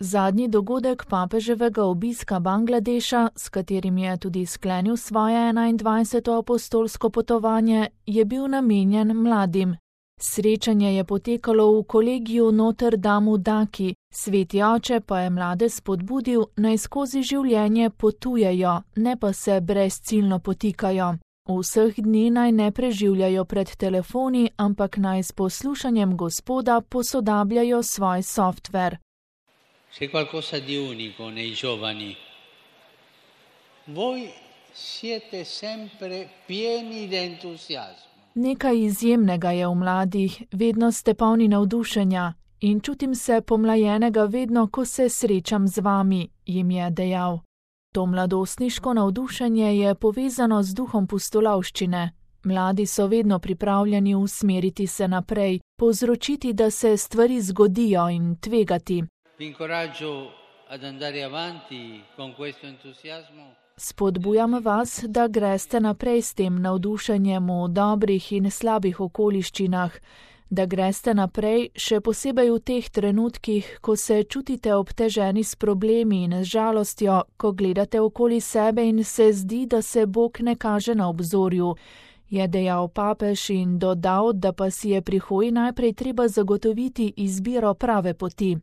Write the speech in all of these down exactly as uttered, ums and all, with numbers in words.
Zadnji dogodek papeževega obiska Bangladeša, s katerim je tudi sklenil svoje enaindvajseto apostolsko potovanje, je bil namenjen mladim. Srečanje je potekalo v kolegiju Notre Dame v Daki, sveti oče pa je mlade spodbudil, naj skozi življenje potujejo, ne pa se brezciljno potikajo. Vseh dni naj ne preživljajo pred telefoni, ampak naj s poslušanjem Gospoda posodabljajo svoj softver. C'è qualcosa di unico nei giovani. Voi siete sempre pieni di entusiasmo. Nekaj izjemnega je v mladih, vedno ste polni navdušenja in čutim se pomlajenega vedno, ko se srečam z vami, jim je dejal. To mladostniško navdušenje je povezano z duhom pustolovščine. Mladi so vedno pripravljeni usmeriti se naprej, povzročiti, da se stvari zgodijo in tvegati. Spodbujam vas, da greste naprej s tem navdušenjem v dobrih in slabih okoliščinah, da greste naprej še posebej v teh trenutkih, ko se čutite obteženi s problemi in z žalostjo, ko gledate okoli sebe in se zdi, da se Bog ne kaže na obzorju, je dejal papež in dodal, da pa si je pri hoji najprej treba zagotoviti izbiro prave poti.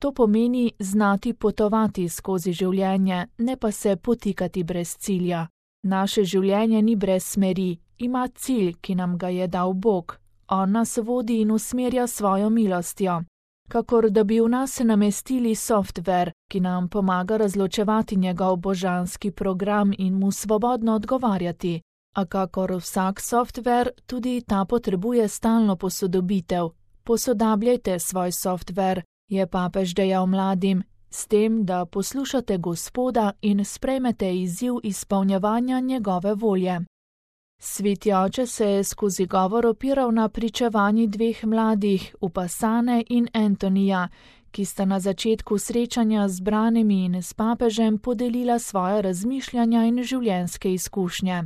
To pomeni znati potovati skozi življenje, ne pa se potikati brez cilja. Naše življenje ni brez smeri, ima cilj, ki nam ga je dal Bog. On nas vodi in usmerja svojo milostjo. Kakor da bi v nas namestili softver, ki nam pomaga razločevati njegov božanski program in mu svobodno odgovarjati. A kakor vsak softver, tudi ta potrebuje stalno posodobitev. Posodabljajte svoj softver, je papež dejal mladim, s tem, da poslušate Gospoda in sprejmete izziv izpolnjevanja njegove volje. Sveti oče se je skozi govor opiral na pričevanji dveh mladih, Upasane in Antonija, ki sta na začetku srečanja z branimi in s papežem podelila svoje razmišljanja in življenjske izkušnje.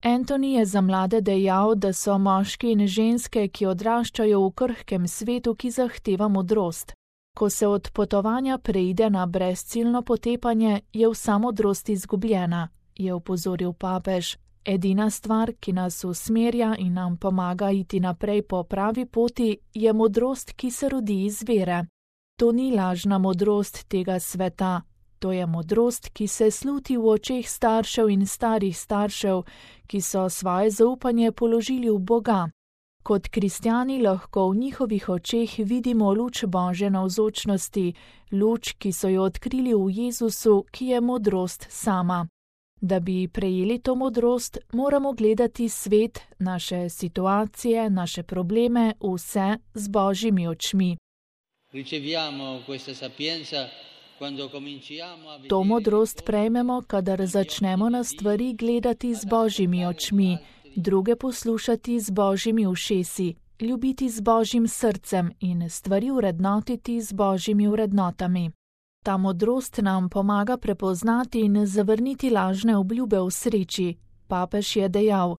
Antoni je za mlade dejal, da so moški in ženske, ki odraščajo v krhkem svetu, ki zahteva modrost. Ko se od potovanja preide na brezciljno potepanje, je vsa modrost izgubljena, je opozoril papež. Edina stvar, ki nas usmerja in nam pomaga iti naprej po pravi poti, je modrost, ki se rodi iz vere. To ni lažna modrost tega sveta, to je modrost, ki se sluti v očeh staršev in starih staršev, ki so svoje zaupanje položili v Boga. Kot kristjani lahko v njihovih očeh vidimo luč Božje navzočnosti, luč, ki so jo odkrili v Jezusu, ki je modrost sama. Da bi prejeli to modrost, moramo gledati svet, naše situacije, naše probleme, vse z Božjimi očmi. To modrost prejmemo, kadar začnemo na stvari gledati z Božjimi očmi, druge poslušati z Božjimi ušesi, ljubiti z Božjim srcem in stvari vrednotiti z Božjimi vrednotami. Ta modrost nam pomaga prepoznati in zavrniti lažne obljube v sreči. Papež je dejal,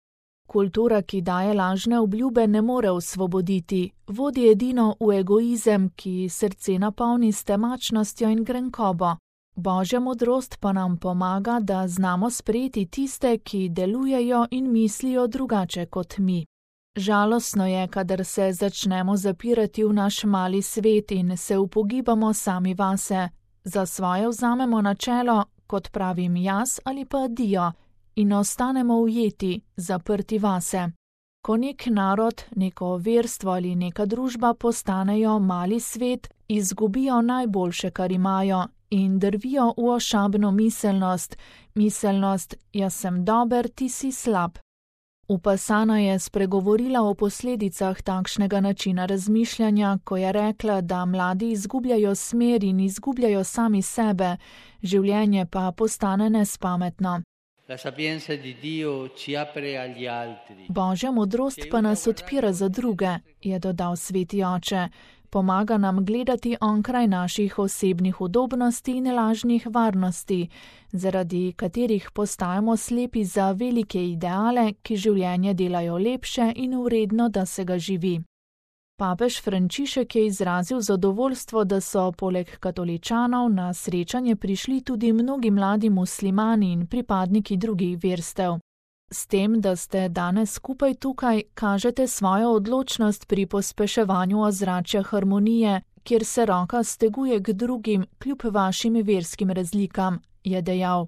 kultura, ki daje lažne obljube, ne more osvoboditi, vodi edino v egoizem, ki srce napolni s temačnostjo in grenkobo. Božja modrost pa nam pomaga, da znamo sprejeti tiste, ki delujejo in mislijo drugače kot mi. Žalostno je, kadar se začnemo zapirati v naš mali svet in se upogibamo sami vase. Za svoje vzamemo načelo, kot pravim jaz ali pa dio, in ostanemo ujeti, zaprti vase. Ko nek narod, neko verstvo ali neka družba postanejo mali svet, izgubijo najboljše, kar imajo, in drvijo v ošabno miselnost, miselnost, jaz sem dober, ti si slab. Upasana je spregovorila o posledicah takšnega načina razmišljanja, ko je rekla, da mladi izgubljajo smer in izgubljajo sami sebe, življenje pa postane nespametno. Božja modrost pa nas odpira za druge, je dodal sveti oče. Pomaga nam gledati onkraj naših osebnih udobnosti in lažnih varnosti, zaradi katerih postajamo slepi za velike ideale, ki življenje delajo lepše in vredno, da se ga živi. Papež Frančišek je izrazil zadovoljstvo, da so poleg katoličanov na srečanje prišli tudi mnogi mladi muslimani in pripadniki drugih verstev. S tem, da ste danes skupaj tukaj, kažete svojo odločnost pri pospeševanju ozračja harmonije, kjer se roka steguje k drugim kljub vašim verskim razlikam, je dejal.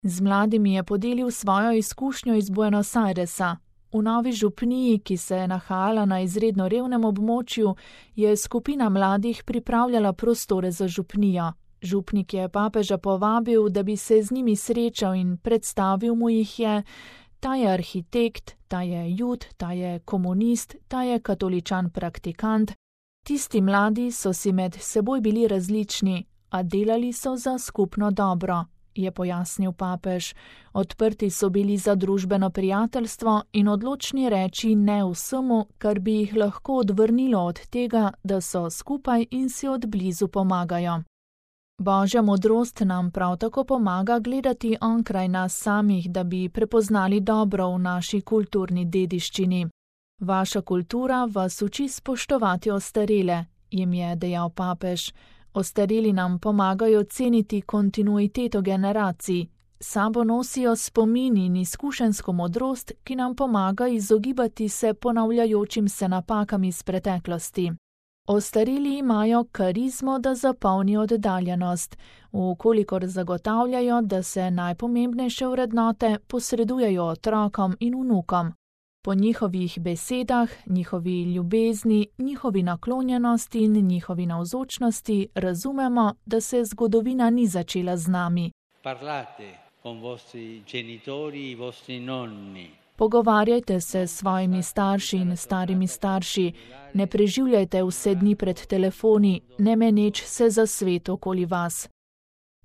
Z mladimi je podelil svojo izkušnjo iz Buenos Airesa. V novi župniji, ki se je nahajala na izredno revnem območju, je skupina mladih pripravljala prostore za župnijo. Župnik je papeža povabil, da bi se z njimi srečal in predstavil mu jih je: ta je arhitekt, ta je jud, ta je komunist, ta je katoličan praktikant. Tisti mladi so si med seboj bili različni, a delali so za skupno dobro, je pojasnil papež. Odprti so bili za družbeno prijateljstvo in odločni reči ne vsemu, kar bi jih lahko odvrnilo od tega, da so skupaj in si od blizu pomagajo. Božja modrost nam prav tako pomaga gledati onkraj nas samih, da bi prepoznali dobro v naši kulturni dediščini. Vaša kultura vas uči spoštovati ostarele, jim je dejal papež. Ostareli nam pomagajo ceniti kontinuiteto generacij, sabo nosijo spomin in izkušenjsko modrost, ki nam pomaga izogibati se ponavljajočim se napakam iz preteklosti. Ostareli imajo karizmo, da zapolnijo oddaljenost, vkolikor zagotavljajo, da se najpomembnejše vrednote posredujejo otrokom in vnukom. Po njihovih besedah, njihovi ljubezni, njihovi naklonjenosti in njihovi navzočnosti razumemo, da se zgodovina ni začela z nami. Parlate con vostri genitori e vostri nonni. Pogovarjajte se s svojimi starši in starimi starši, ne preživljajte vse dni pred telefoni, ne meneč se za svet okoli vas.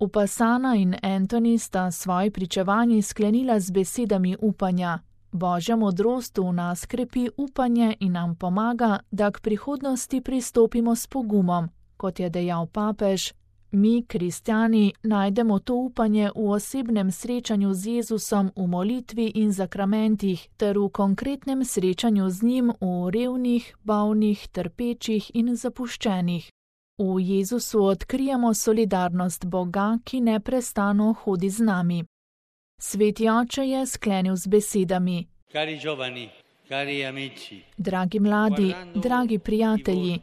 Upasana in Antoni sta svoji pričevanji sklenila z besedami upanja. Božja modrost v nas krepi upanje in nam pomaga, da k prihodnosti pristopimo s pogumom, kot je dejal papež. Mi, kristjani, najdemo to upanje v osebnem srečanju z Jezusom v molitvi in zakramentih ter v konkretnem srečanju z njim v revnih, bolnih, trpečih in zapuščenih. V Jezusu odkrijemo solidarnost Boga, ki neprestano hodi z nami. Sveti oče je sklenil z besedami: Cari giovani, cari amici, dragi mladi, dragi prijatelji,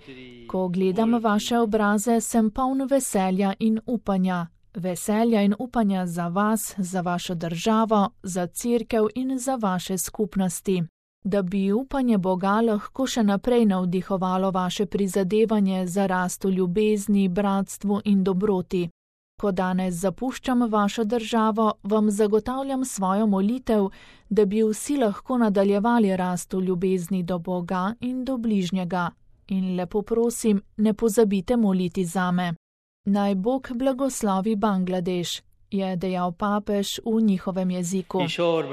ko gledam vaše obraze, sem poln veselja in upanja. Veselja in upanja za vas, za vašo državo, za cerkev in za vaše skupnosti. Da bi upanje Boga lahko še naprej navdihovalo vaše prizadevanje za rast v ljubezni, bratstvu in dobroti. Ko danes zapuščam vašo državo, vam zagotavljam svojo molitev, da bi vsi lahko nadaljevali rast v ljubezni do Boga in do bližnjega. In lepo prosim, ne pozabite moliti zame. Naj Bog blagoslovi Bangladeš, je dejal papež v njihovem jeziku. Kishore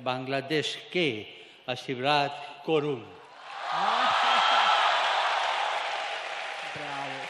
Bangladesh ke Ashirvad korun. Bravo.